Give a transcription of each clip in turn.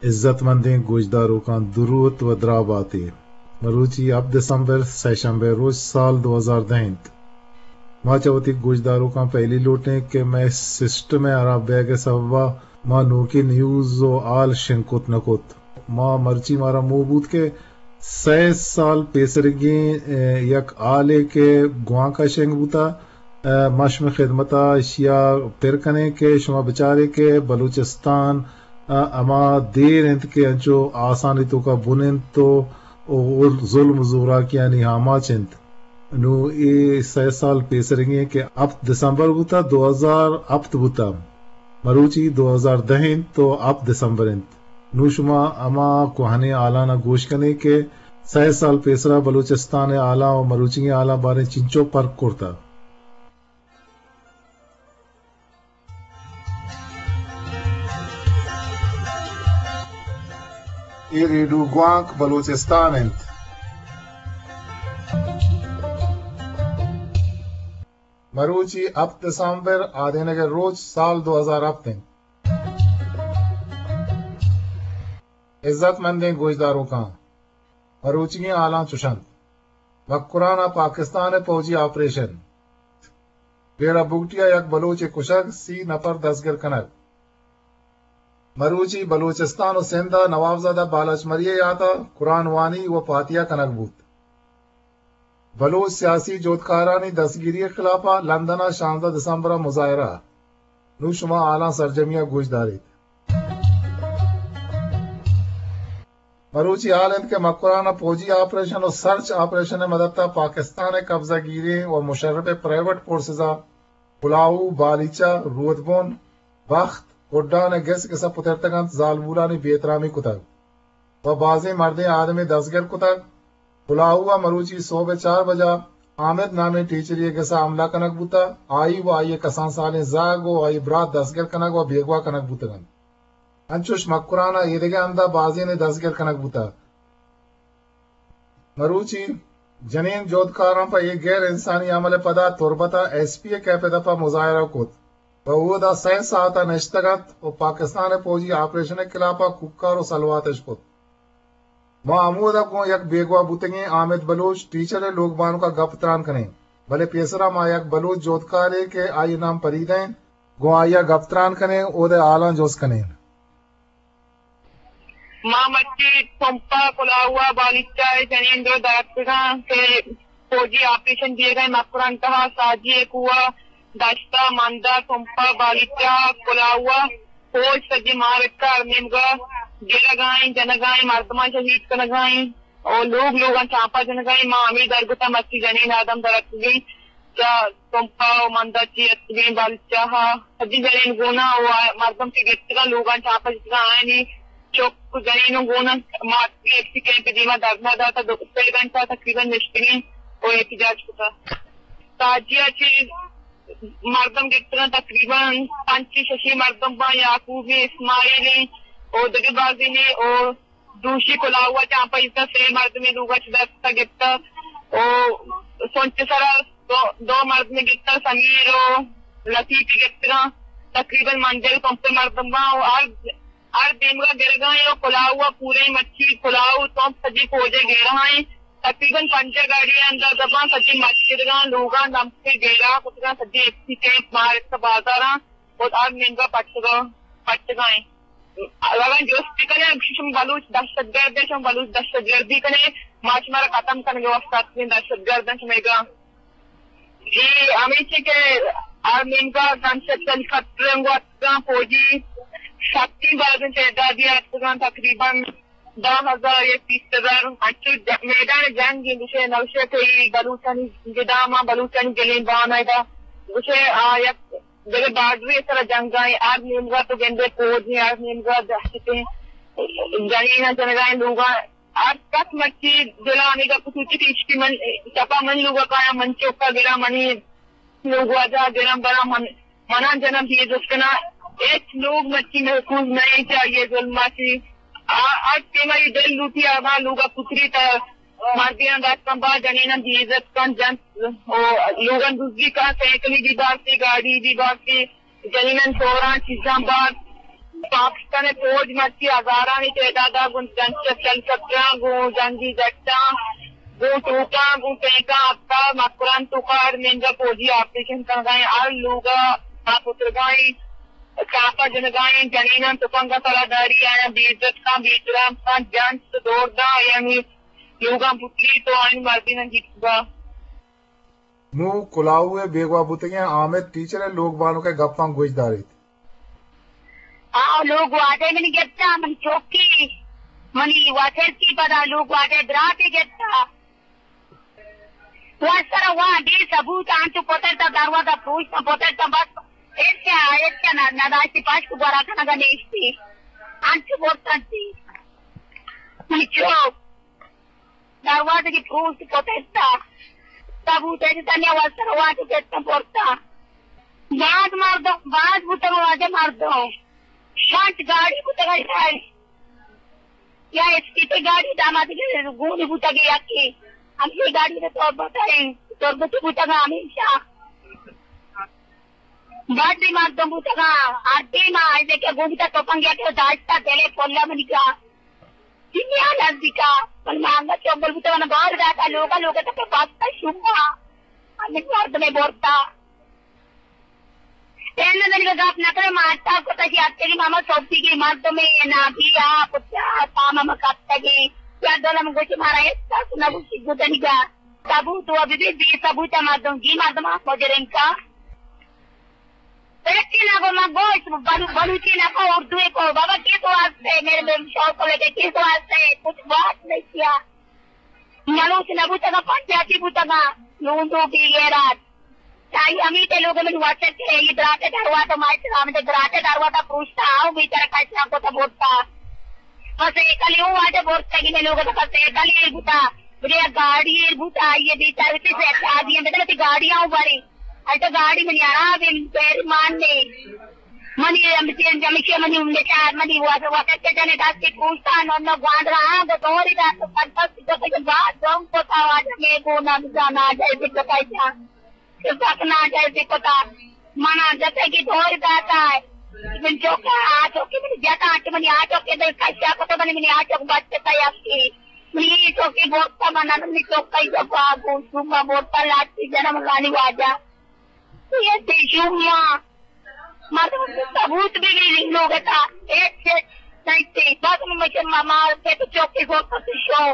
عزت مندیں گوشداروکاں دروت و دراہ باتے۔ مروچی ہپت دسمبر، سئے شمبے روچ، سال دو ہزار دہ انت۔ ما چہ وتی گوشداروکاں پہلی لوٹیں کہ مئے سسٹم ءِ ہراب بیگ ءِ سبب ءَ ما نوکیں نیوز و ہال شنگ کت نہ کت۔ ما مرچی مارا موہ بوت کہ سئے سال پیسریگیں، اے، یک ہالے کہ گوانک ءَ شنگ بوتہ، اے، ما شمئے خدمت ءَ اشی ءَ پر کنیں کہ شما بچارے کہ بلوچستان ءَ ہما دیر انت کہ انچو آسانی توکا بن انت و، و ظلم و زوراکیانی آماچ انت۔ نوں اے سئے سال پیسریگیں کہ ہپت دسمبر بوتہ، دو ہزار ہپت بوتہ، مروچی دو ہزار دہ انت و ہپت دسمبر انت۔ نوں شما ہما کوہنیں ہالانا گوش کنے کہ سئے سال پیسرا بلوچستان ءِ ہالاں و مروچیگیں ہالاں باریں چنچو پرک کرتہ۔ اے ریڈیو گوانک بلوچستان انت۔ مروچی ہپت دسمبر، آدینگ ءِ روچ، سال دو ہزار ہپت انت۔ عزت مندیں گوشداروکاں، مروچیگیں ہالاں چش انت۔ مکران ءَ پاکستان ءِ پوجی آپریشن۔ ڈیرہ بگٹی ءَ یک بلوچے کشگ، سی نفر دزگیر کنگ۔ مروچی بلوچستان و سندھ ءَ نوابزادہ بالاچ مری ءِ یات ءَ قرآن وانی و فاتحہ کنگ بوت۔ بلوچ سیاسی جہدکارانی دستگیری ءِ خلاف ءَ لندن ءَ شانزدہ دسمبر ءَ مظاہرہ۔ نوں شما ہالاں سرجمی ءَ گوش داریت۔ مروچی ہال انت کہ مکران ءَ پوجی آپریشن و سرچ آپریشن ءِ مدت ءَ پاکستان ءِ قبضہ گیریں و مشرف ءِ پرائیویٹ فورسز ءَ کلاہو، بالیچہ، رودبن، بخت، کڈان ءِ گس گس ءَ پترتگ انت، زالبولانی بے احترامی کتگ و بازیں مردیں آدمے دزگیر کتگ۔ کلاہو ءَ مروچی سہب ءِ چار بجا حامد نامیں ٹیچرے ءِ گس ءَ حملہ کنگ بوتگ، آئی و آئی ءِ کسان سالیں زہگ و آئی ءِ برات دزگیر کنگ و بیگواہ کنگ بوتگ انت۔ انچوش مکران ءَ ایدگہ ہند ءَ بازینے دزگیر کنگ بوتگ۔ مروچی جنین جہدکاراں پہ اے غیر انسانی عمل ءِ پدا تربت ءَ ایس پی ءِ کیف ءِ دپ ءَ مظاہرہ کت و اودا سئے ساعت ءَ نشتگ ات و پاکستان ءِ پوجی آپریشن ءِ خلاف ءَ کوکار و سلوات اش کت۔ ما ہمودا گوں یک بیگواہ بوتگیں حامد بلوچ ٹیچر ءِ لوگ بانک ءَ گپ تران کنیں، بلے پیسرا ما یک بلوچ جہدکارے کہ آئی ءِ نام پریدہ انت، گوں آئی ءَ گپ تران کنیں، اود ءِ حالاں جست کنیں۔ ما مرچی تمپ ءَ کلاہو ءَ بالیچہ ءِ جنین دو دراتکگاں کہ فوجی آپریشن دیگا ایں مکران تہا ساجی ءِ کوہ ءَ، دشت ءَ، مند ءَ، تمپ ءَ، بالیچہ ءَ، کلاہو ءَ، فوج سجی مارکہ ہر نیمگا گرگا ایں، جنگا ایں، مردماں شہید کنگا ایں، او لوگ لوگاں چاپا جنگا ایں۔ ما ہمے درگتا مرچی جنین آدم دراتکگیں چہ تمپ ءَ و مند ءَ چی اتکگیں بالیچہ ءَ، سجی جنین گون ءَ و مردم کہ گپتگاں لوگاں چاپا جتگاں آیانی چک جنین و گون ءَ، ما اتکگیں ایف سی کیمپ ءِ دیما دھرنا داتا، دو سے گھنٹہ تقریباً نشتگیں و احتجاج کتا۔ ساجی ءَ چی مردم گپتگاں تقریباً پنچ ششی مردم باں، یعقوب ایں، اسماعیل ایں و دگہ بازینے و دوشی کلاہو ءَ چاپا ایستا سے مردمے لوگا چہ دست ءَ گپتا و سنچ سرا دو، دو مردمے گپتا، سمیر و لطیفے گپتگاں۔ تقریباً منجل پمپ مردم باں و ہر، ہر دیمگا گرگا ایں و کلاہو ءَ پورے مرچی کلاہو تمپ سجی فوجے گھیرا ایں۔ تقریباً پنجاہ گاڑی اندازہ باں، سجی مسجدگاں، لوگاں دمکے گھیرا کتگاں، سجی ایف سی کیمپ، مارکہ، بازاراں و ہر نیمگا پٹگا، پٹگا ایں۔ اگاں جست بہ کنئے، گوشی شما بلوچ دہشت گرد ایں، شما بلوچ دہشت گردی کنئے، ما شمارا ختم کنگے واسطہ اتکگیں دہشت گرد ایں شمئیگا۔ اے ہمیشی کہ ہر نیمگا گن شپ ہیلی کاپٹر انگو اتکگاں، فوجی سختی بازیں تعدادی اتکگاں، تقریباً دہ ہزار یا بیست ہزار، انچو ج-، میدان جنگ ایں، گوشے نوشے کہ اے بلوچانی گداما، بلوچانی گلیں بان ادا، گوشے آ یک دگہ بارڈرے سرا جنگ ایں، ہر نیمگا تو گندے فوج ایں، ہر نیمگا دہشت ایں، جنین جنگا ایں لوگا، ہر کس مرچی دلا ہمے گپ سوچی کہ اشکی من، شپا من لوگا کایاں، من چکا گراں، منی لوگ واجہ گراں براں، من، منا جنم دیے جست کناں، ہچ لوگ مرچی محفوظ نہ ایں چہ آئی ظلم ءَ چی۔ آ، ہر ٹیم ءَ اے دل لوٹی آبا لوگا پتری تا مردیاں دستاں با جنیناں بے عزت کن جنت و لوگاں دزی کن، سائیکلی بی بارتی، گاڑی بی بارتی، جنیناں چوراں چیزاں بار۔ پاکستان ءِ فوج مرچی ہزارانی تعداد ءَ گوں جنگ، شل شتراں، گوں جنگی جٹاں، گوں توپاں، گوں ٹینکاں اتکا، مکران توکا ہر نندگا فوجی آپریشن کنگا ایں، ہر لوگا پترگا ایں، چاپا جنگا ایں، جنیناں تپنگا سرا داری، آیاں بے عزت کاں، بے احترام کاں، جنت دور داں، آیانی لوگاں پتری تو آیانی مردیناں جیتگا۔ نوں کلاہو ءِ بیگواہ بوتگیں حامد ٹیچر ءِ لوگ بانک ءِ گپاں گوش داریت۔ آ لوگ واجہ منی گپتا، منی چوکی، منی واتر کی پدا لوگ واجہ براتے گپتا۔ واسرا وا بے ثبوت انچو پترتا، دروازہ پروشتا پترتا، بس ایسا، ایسا نہ، نہ داشتی پاش کو گورا کنگا نیشتی۔ انچو بورتنتی۔ منی چوک۔ دروازگی پروشت کتتا۔ ثبوت ءَ تنیا واسطہ روان تو کتنا پورتا۔ باز مردم، باز بوتگ واجہ مردم۔ شانت گاڑی بوتگ شاید۔ یا اسپیتے گاڑی داماد گونی بوتگ یکی۔ ہمشی گاڑی نے تربت ہے۔ تربت بوتگ ہمیشہ۔ باز مردم بوتگ۔ ہر ٹیم آئے کہ گوگتا تو پنگیا کہ داشتا دلے پولا منی کا۔ دنیا نزدیکا، من مانگا چنگل بوتا، من بار داتا، لوگا، لوگا تک بستا شما۔ ہمیں مردمے برتا۔ تینا دنگا گپ نہ کرے، مارتا کو تجی آتے کی ماما سوپی کی مردمے، نا بیا، پتیا، تاما مکتا کی۔ یا دولا من گوشی مارا ایسا سنا گوشی گدنگا۔ ثبوت و بی بی، بی ثبوت مردم، جی مردم مجرم کا۔ سچی نہ گو، من گوشت، بلو-، بلوچی نہ کو، اردو کو۔ بابا، کس واسطے؟ میرے بے-، شوق کو لے کے کس واسطے؟ کچھ بات نہیں کیا۔ بلوچ نہ بوتگا، پنجابی بوتگا، لوندو بی غیرت۔ چاہیے ہمیں تے لوگ من واسطے، یہ دراتے دروازہ، مائے سلام دے دراتے دروازہ پروشتا آؤ، بی طرح کچرا کو تو بوتا۔ بس ایک کلی ہوں آتے بورتا کہ میں لوگ تو بس ایک کلی بوتا۔ بلے گاڑی بوتا، یہ بی طرح سے شادی ہے، مطلب گاڑیاں بڑی۔ اچھا، گاڑی منی آرام ہے، پیر مان نے۔ منی ہم چین جمشے منی ہم چار منی واسطے، واسطے جنے داس کے پوچھتا، نو نو گوانڈ رہا، گو دوری داس، پنچاس کے بعد دونگ کو تھا، آج میں گو نہ جانا، جیسے بتائی جان۔ کہ بس نہ جیسے پتا، منا جیسے کہ دوری داتا ہے۔ من چوکا، آ چوکے منی جتا، کہ منی آ چوکے دل کشا کو تو منی، منی آ چوک بچتا ہے آپ کی۔ منی چوکے بورتا منا، منی چوکا ہی جب آ گو، شما بورتا لاتی جنم لانی واجہ۔ یہ دیشو ماں، مردم ثبوت بھی نہیں لوگ تھا۔ ایک سے نہیں تھی۔ بس مجھے ماما کے تو چوکی کو تو شو۔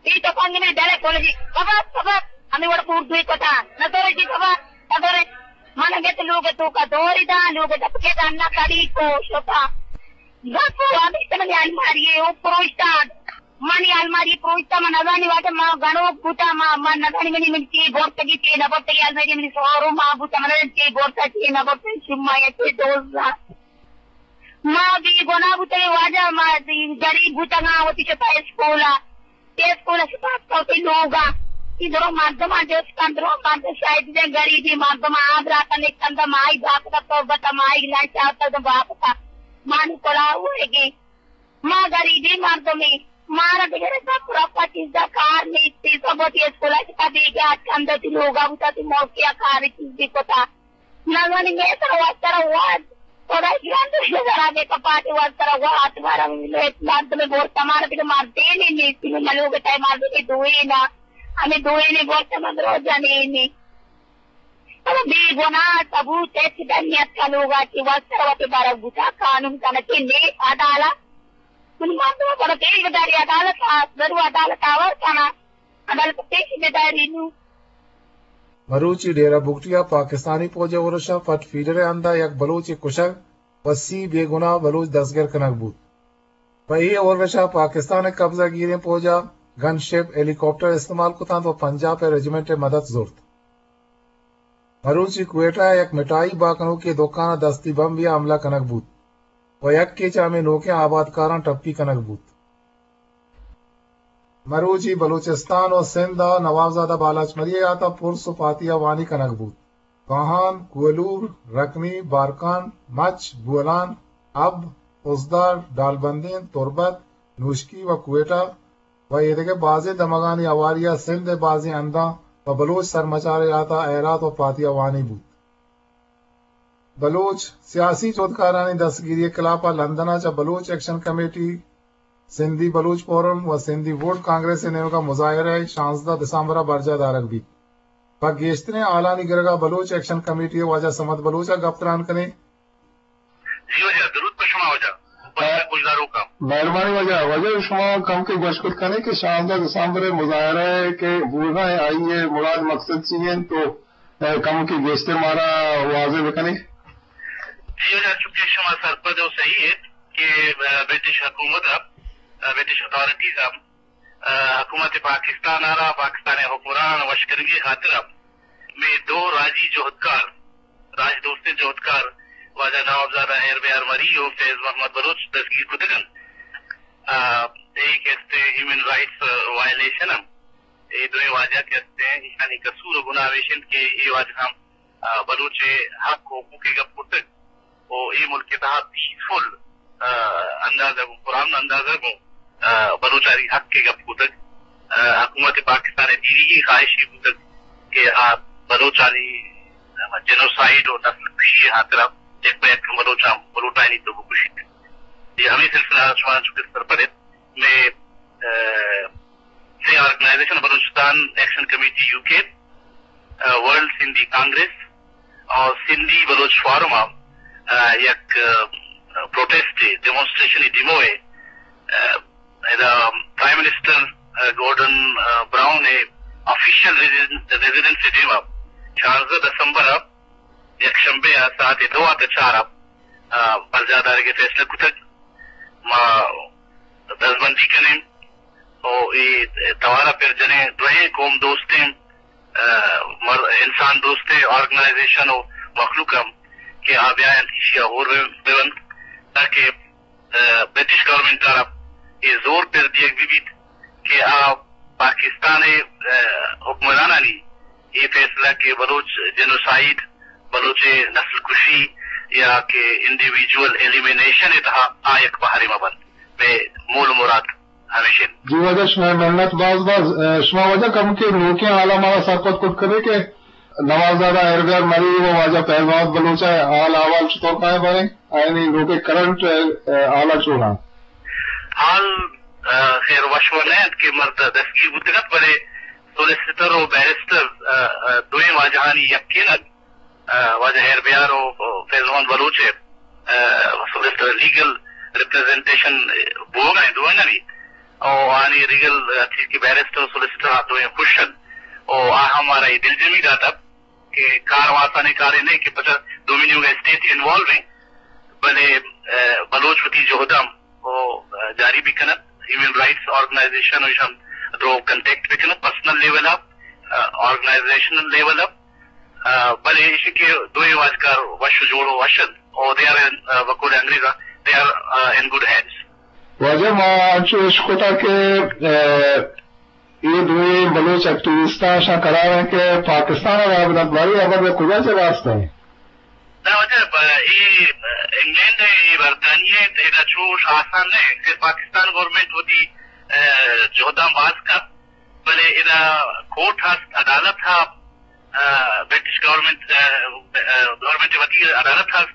یہ تو پنگ میں ڈرے کھول دی۔ خبر، خبر، ہمیں وڑ پور دوئی کو تھا۔ نہ تو رہی خبر، نہ تو رہی۔ من گت لوگ تو کا دوری دا، لوگ دب کے دا نہ کری کو شوتا۔ بس وہ ہمیں سمجھ آئی ماری ہے، وہ پروشتا۔ منی الماری پروشتا، من نزانی واجہ ما گنوک بوتا، ما، من نزانی منی، منی چی بورتگی، چی نہ بورتگی، الماری منی سوارو ما بوتا، من نزانی چی بورتا، چی نہ بورتا، شما یا چی دوزا۔ ما بی گناہ بوتگی واجہ، ما دی غریب بوتگا، وتی چتا اسکولا۔ تے اسکولا شتا تو تی لوگا۔ تی درو مردم آ جس کن درو مردم شاید دے غریبی مردم آ برا کن ایک کن دا مائی باپ کا تو بتا مائی لائن چاہتا تو باپ کا۔ مانی کلا ہوئے گی۔ ما غریبیں مردمیں، مارا دگہ رپا پرپا چیزا کار نیستی، تو وتی اسکولا چکا بیگا اتکن، وتی لوگا بوتا، وتی موقعا کار چیزی کتا۔ نزانی میں سرا واسطہ را واد، تھوڑا گران تو شجرا دے کپاتے واسطہ را واد، مارا مردمے بورتا، مارا دگہ مردینے نیستی، میں ملوگ تای مردمے دوئینا، ہمیں دوئینے بورتا من روزا نینے۔ اما بے گناہ ثبوت ہچ در نیتکا لوگا چی واسطہ وتی بارگ بوتا، قانون کنت کہ نے عدالت۔ من مردم پر پیش بداری عدالت آ، ضرور عدالت آور کنا۔ عدالت پیش بداری نو۔ مروچی ڈیرہ بگٹی ء پاکستانی پوج ء ارش ء پٹ فیڈر ء ہند ء یک بلوچے کشگ و سی بے گناہ بلوچ دستگر کنگ بوت۔ پہ اے ارش ء پاکستان ء قبضہ گیریں پوج ء گن شپ، ہیلی کاپٹر استعمال کت انت و پنجاپ ء رجمنٹ ء مدد زرت۔ مروچی کوئٹہ ء یک مٹائی باکنوکے دکان ء دستی بمبے ء حملہ کنگ بوت و یکے چہ ہمے نوکیں آبادکاراں ٹپی کنگ بوت۔ مروچی بلوچستان و سندھ ء نوابزادہ بالاچ مری ء یات ء پرس و پاتیاوانی کنگ بوت۔ کاہان، کوہلور، رکنی، بارکان، مچ، بولان، اب، خضدار، ڈالبندین، تربت، نوشکی و کوئٹہ و ایدگہ بازیں دمگانی ہواری ء سندھ ء بازیں ہنداں پہ بلوچ سرمچار ء یات ء ہیرات و پاتیاوانی بوت۔ بلوچ سیاسی جہدکارانی دستگیری ءِ خلاف ءَ لندن ءَ چہ بلوچ ایکشن کمیٹی، سندھی بلوچ فورم و سندھی ووٹ کانگریس ءِ نیمگ ءَ مظاہرہ ءِ شانزدہ دسمبر ءَ برجاہ دارگ بیت۔ پہ گیشتریں ہالانی گرگ ءَ بلوچ ایکشن کمیٹی ءِ واجہ صمد بلوچ ءَ گپ تران کنیں۔ جی واجہ، درود پہ شما واجہ۔ پہ گوشداروکاں۔ مہربانی واجہ، واجہ شما کمکے گوشت کت کنیں کہ شانزدہ دسمبر ءِ مظاہرہ ءِ کہ بوگ ءَ آئی ءِ مراد مقصد چی انت تو، اے، کمکے گیشتر مارا واضح بکنیں۔ جی واجہ، چونکہ شما سرپد و صحیح ایت کہ، اے، برٹش حکومت ءَ، اے، برٹش اتھارٹیز ءَ، اے، حکومت پاکستان ءَ را پاکستان ءِ حکمران وش کنگی خاطر ءَ مئے دو راجی جہدکار، راج دوستیں جہدکار واجہ نوابزادہ ہیر بیار مری و فیض محمد بلوچ دستگیر کتگ انت۔ آ، اے کہ استیں ہیومن رائٹس وائلیشن انت۔ اے دوئیں واجہ کہ استیں، ایشانی قصور و گناہ ہمیش انت کہ اے واجہ ہم، آ، بلوچ ءِ حق و حقوق ءِ گپ کرتگ و اے ملک ءِ تہا پیسفل، آ، انداز ءَ گوں، پرامن انداز ءَ گوں، آ، بلوچانی حق ءِ گپ کتگ۔ آ، حکومت پاکستان ءِ دیریگیں خواہشے بوتگ کہ آ بلوچانی جنوسائیڈ و نسل کشی ءِ ہاترا یک پہ یک بلوچاں بلوٹائینیت و بکشیت۔ اے ہمے سلسلہ ءَ شما چونکہ سرپد ایت، مئے، آ، سے آرگنائزیشن، بلوچستان ایکشن کمیٹی یو کے، آ، ورلڈ سندھی کانگریس اور سندھی بلوچ فورم ءَ، آ، یک، آ، پروٹیسٹ ءِ، ڈیمونسٹریشن ءِ ڈیمو ءِ، آ، ادا پرائم منسٹر، آ، گورڈن، آ، براؤن ءِ آفیشل ریزیڈن-، ریزیڈنس ءِ دیم ءَ شانزدہ دسمبر ءَ یک شنبے ءَ ساعت دو ءَ چار ءَ، آ، برجاہ دارگ ءِ فیصلہ کتگ۔ ما دزبندی کنیں و اے توار ءَ پر جنیں، دوئیں قوم دوستیں، آ، مر-، انسان دوستیں آرگنائزیشن و مخلوق ہم کہ آ بیاینت ایشی ءَ ہور بہ، بہ بنت، تاکہ، آ، برٹش گورنمنٹ ءَ را اے زور پر دیگ بہ بیت کہ آ پاکستان ءِ، آ، حکمرانانی اے فیصلہ کہ بلوچ جنوسائیڈ، بلوچ نسل کشی یا کہ انڈیویجول ایلیمینیشن ءِ تہا آ یک بہرے مہ بنت، مئے مول و مراد ہمیش انت۔ جی واجہ، شمئے منت باز باز۔ اے، شما واجہ کمکے نوکیں حالا مارا سرپد کت کنے کہ نوابزادہ ہیربیار مری و واجہ فیض محمد بلوچ ءِ حال احوال چطور کائیں باریں؟ آیانی نوکیں کرنٹ، اے، حالا چون انت؟ حال، اے، خیر وش و نہ انت کہ مرد دستگیر بوتگ انت، بلے سولیسیٹر و بیرسٹر، اے، اے، دوئیں واجہانی یکین ات۔ آ، واجہ ہیر بیار و فیض محمد بلوچ ءِ، آ، سولیسٹر لیگل ریپریزنٹیشن بوگ ءَ انت دوئینانی۔ او آنی لیگل، آ، چیز کہ بیرسٹر و سولیسٹر آ دوئیں خوش انت۔ او آ ہم مارا اے دلجمی داتگ کہ کار و آسانیں کارے نہ کہ پچا دومی نیمگ ءَ اسٹیٹ انوالو انت، بلے، آ، بلوچ وتی جہد ءَ ہم و، آ، جاری بہ کنت۔ ہیومن رائٹس آرگنائزیشن و ایشان درو کنٹیکٹ بہ کنت پرسنل لیول ءَ، آ، آرگنائزیشنل لیول ءَ، آ، بلے ایشی کہ دوئیں واجکار وش و جوڑ و وش انت و دے آر ان، آ، بقول انگریز ءَ، دے آر، آ، ان گڈ ہینڈز۔ واجہ ما انچو اشکتا کہ، آ، اے دوئیں بلوچ ایکٹیوسٹاں شاں قرار انت کہ پاکستان ءَ را بدنت، باریں ہبر کجا چہ راست انت؟ نہ واجہ، ب-، اے، ب-، انگلینڈ ءِ، اے برطانیہ ءِ، ادا چوش آسان نہ انت کہ پاکستان گورنمنٹ وتی، آ، جہداں باز کنت، بلے ادا کورٹ ہست، عدالت ہا، آ، برٹش گورنمنٹ، آ، آ، گورنمنٹ وتی عدالت ہست،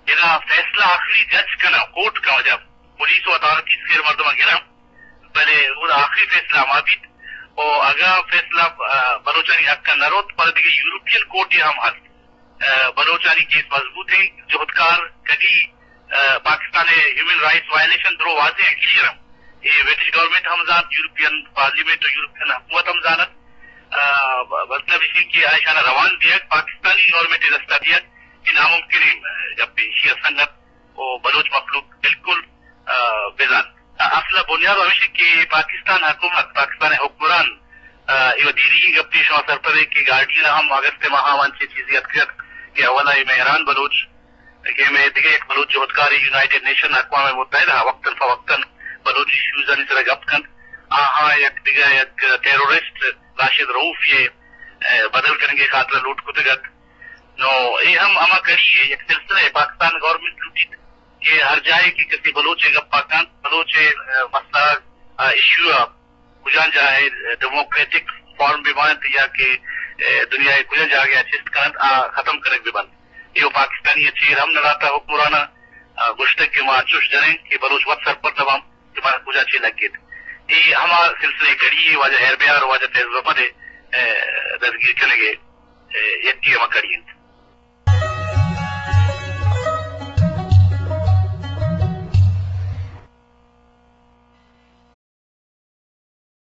ادا فیصلہ آخری جج کنا، کورٹ کا واجہ، پولیس و اتھارٹیز خیر مردم گران، بلے اودا آخری فیصلہ ہما بیت۔ و اگاں فیصلہ، آ، بلوچانی حق ءَ نہ روت، پدا دگہ یورپین کورٹے ہم ہست۔ آ، بلوچانی کیس مضبوط انت، جہدکار کدی، آ، پاکستان ءِ ہیومن رائٹس وائلیشن درو واضح انت، کلیئر انت۔ اے برٹش گورنمنٹ ہم زانت، یورپین پارلیمنٹ و یورپین حکومت ہم زانت۔ آ، ب-، مطلب ایش کہ آ ایشانا روان دیگ، پاکستانی گورنمنٹ ءِ دستا دیگ، اے ناممکنیں، آ، گپے۔ ایشی ءَ سنگت و بلوچ مخلوق بالکل، آ، بزان۔ آ، اصل ءَ بنیاد ہمیش کہ پاکستان حکومت، پاکستان ءِ حکمران، آ، اے وَ دیریگیں گپے شما سرپد ئے کہ گارڈین ءَ ہم اگست ءِ ماہ ءَ انچیں چیزے اتکگ کہ اولا اے مہران بلوچ کہ مئے دگہ یک بلوچ جہدکارے یونائیٹڈ نیشن اقوام متحدہ ءَ وقتاً فوقتاً بلوچ ایشوزانی سرا گپ کنت، آہاں یک دگہ یک ٹیرورسٹ راشد رؤف ءِ، آ، بدل کنگ ءِ خاطر ءَ لوٹ کتگ ات۔ نو اے ہم ہما کڑی ءِ یک سلسلہ ءِ پاکستان گورنمنٹ لوٹیت کہ ہر جاہے کہ کسی بلوچ ءِ گپا کنت، بلوچ ءِ، آ، مسئلہ، آ، ایشو ءَ کجام جاہ ءَ ڈیموکریٹک فارم بہ بنت یا کہ، آ، دنیا ءِ کجام جاگہ ءَ چست کنت، آ ختم کنگ بہ بنت۔ اے و پاکستان آئی ءَ چیر ہم نہ داتہ حکمراناں، آ، گوشتگ کہ ما انچوش جنیں کہ بلوچ وت سرپد نہ باں کہ مارا کجا چے لگیت۔ اے ہما سلسلہ ءِ کڑی یے، واجہ ہیر بیار ءُ واجہ فیض محمد ءِ، اے، دزگیر کنگ ءِ، اے، یکے ہما کڑی انت۔